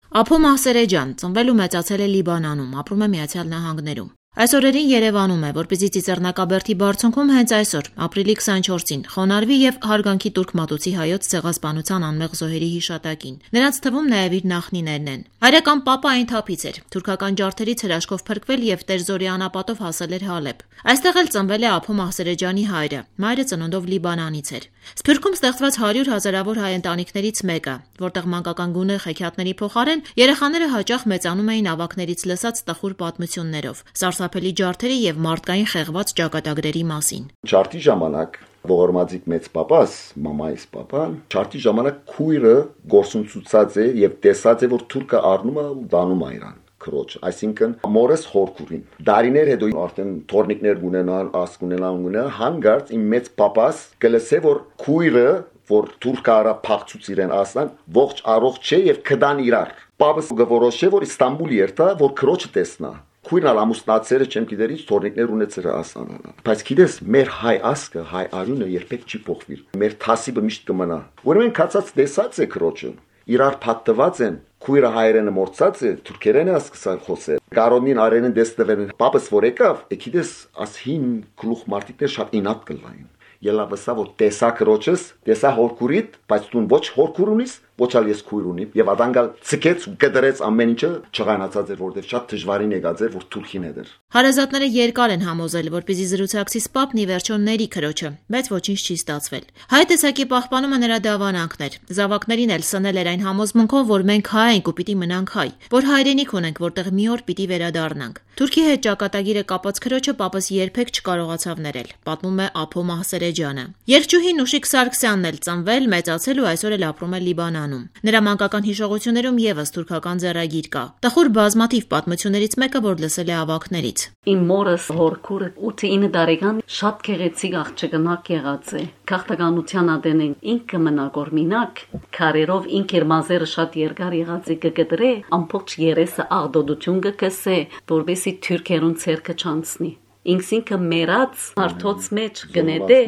Ափո Մահսերեջյան ծնվել ու մեծացել է Լիբանանում, ապրում է Միացյալ Նահանգներում։ Այս օրերին Երևանում է, որպեսզի Ծիծեռնակաբերդի բարձունքում հենց այսօր, ապրիլի 24-ին, խոնարհվի եւ հարգանքի տուրք մատուցի հայոց ցեղասպանության անմեղ զոհերի հիշատակին։ Նրանց թվում նաեւ իր նախնիներն են։ Հայրական պապը այն թափից էր, թուրքական ջարդերից հրաշքով փրկվել եւ Տերզորի անապատով հասել էր Հալեբ։ Այստեղ էլ ծնվել է Ափո Մահսերեջյանի հայրը, մայրը ծնունդով Լիբանանից էր։ Սփյուռքում ստեղծված 100 հազարավոր հայ ընտանիքներից մեկը, որտեղ մանկական գունեղ հեքիաթների փոխարեն երեխաները հաճախ մեծանում էին ավագներից լսած տխուր պատմություններով, սարսափելի ջարդերի եւ մարդկային խեղված ճակատագրերի մասին։ Ջարդի ժամանակ ողորմածիկ մեծ պապաս, մամայիս պապան, ջարդի ժամանակ քույրը գործունեացած է եւ տեսած է, որ թուրքը առնում է ու դանում է իրան։ Քրոջ, այսինքն մորս խորքուրին։ Դարիներ հետո արդեն թորնիկներ ունենալ, ասկ ունենալ, հանգարց իմ մեծ պապաս գլսե որ քույրը, որ թուրքը արա փախցուց իրեն ասlan, ողջ առողջ չէ եւ կդան իրար։ Պապս գորոշե որ Իստանբուլ երթա, որ քրոջը տեսնա։ Քույրն ամուսնացել է, չեմ գիտերից թորնիկներ ունեցել է ասlan։ Բայց գիտես, մեր հայ ասկը, հայ արյունը երբեք չի փոխվի։ Մեր թասիբը միշտ կմնա։ Ուրեմն կացած տեսած է քրոջը։ Իրար փաթված են, քույրը հայերենը մորցած է, թուրքերենը սկսալ խոսել։ Կարոնին արենը դեստվեն, պապս որ եկավ, եկիդես ասհին գլուխ մարտիկներ շատ ինատ կլային։ Ելավսա որ տեսա քրոջս, տեսա հորքուրիդ, բայց դու ոչ հորքուր ունիս, ոչ ալ ես քույր ունիմ, եւ ադանգալ ցկեց ու կդրեց ամեն ինչը չղանացած էր, որտեղ շատ դժվարին եկած էր, որ թուրքին էր։ Հարազատները երկար են համոզել, որպեսզի զրուցակցի սպապն ի վերջո ների քրոջը, բայց ոչինչ չի ստացվել։ Հայ տեսակի պահպանումը նրա դավանանքն էր։ Զավակներին էլ սնել էր այն համոզմունքով, որ մենք հայ ենք ու պիտի մնանք հայ, որ հայրենիք ունենք, որտեղ մի օր պիտի վերադառնանք։ Թուրքի հետ ճակատագիրը կապած քրոջը պապս երբեք չկարողացավ ներել, պատմում է Ափո Մահսերեջյանը։ Երգչուհի Նուշիկ Սարգսյանն էլ ծնվել, մեծացել ու այսօր էլ ապրում է Լիբանանում։ Նրա մանկական հիշողություններում եւս թուրքական ձեռագիր կա։ Տխուր բազմաթիվ պատմություններից մեկը, որ լսել է ավակներից։ Իմ մորս հորքուրը 8-9 տարեկան շատ գեղեցիկ աղջկնակ եղած է։ Քաղաքականության ադենեն ինքը մնագոր մինակ, քարերով ինք իր մազերը շատ երկար եղած է կգտրե, ամբողջ երեսը աղդոդություն կգսե, որովհետեւ թուրքերուն ցերկը չանցնի։ Ինքը մերած մարդոց մեջ գնեդե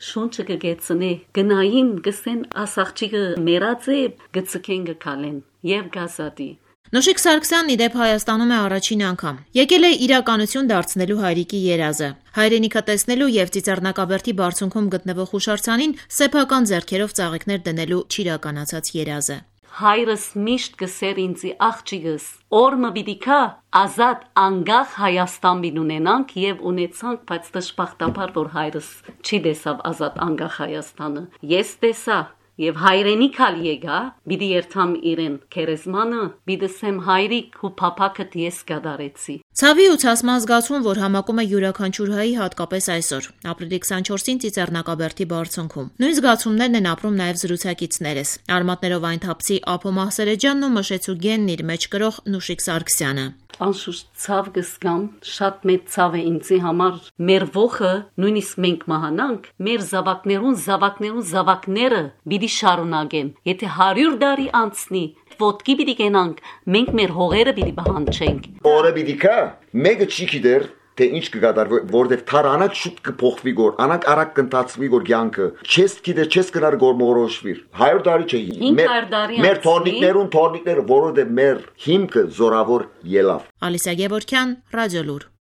շունչը կգեցնի գնային գսեն ասաղջիկը մերած է գծքեն գքալեն եւ գասատի։ Նուշիկ Սարգսյանն իդեպ Հայաստանում է առաջին անգամ։ Եկել է իրականություն դարձնելու հայրիկի երազը։ Հայրենիքը տեսնելու եւ Ծիծեռնակաբերդի բարձունքում գտնվող հուշարձանին սեփական ձեռքերով ծաղիկներ դնելու չիրականացած երազը։ Հայրս միշտ գսեր ինձի աղջիկս օրը պիտի ազատ անգախ Հայաստան ունենանք եւ ունեցանք, բայց դժբախտաբար որ հայրս չի տեսավ ազատ անգախ Հայաստանը։ Ես տեսա եւ հայրենիքալ եկա, պիտի երթամ իրեն քերեզմանը, պիտի սեմ հայրիկ ու փափակդ ես կդարեցի։ Ցավի ու ցասման զգացում, որ համակում է յուրաքանչյուր հայի հատկապես այսօր, ապրիլի 24-ին Ծիծեռնակաբերդի բարձունքում։ Նույն զգացումներն են ապրում նաեւ զրուցակիցներս։ Արմատներով այն թափցի Ափո Մահսերեջյանն ու մշեցու գենն իր մեջ կրող Նուշիկ Սարգսյանը։ Անշուշտ ցավ կսկամ, շատ մեծ ցավ է ինձի համար։ Մեր ողը, նույնիսկ մենք մահանանք, մեր զավակները պիտի շարունակեն։ Եթե 100 տարի անցնի, ոտքի պիտի գնանք, մենք մեր հողերը պիտի բանջենք։ Օրը պիտի կա, մեկը չի գիտեր, թե ինչ կգադարվի, որտեղ թարանակ շուտ կփոխվի գոր, անակ արագ կընթացվի գոր կյանքը։ Չես գիտեր, չես գնար գորմորոշվի։ 100 տարի չէ։ Մեր թորնիկները, որովհետև մեր հիմքը զորավոր ելավ։ Ալիսա Գևորգյան, Ռադիոլուր։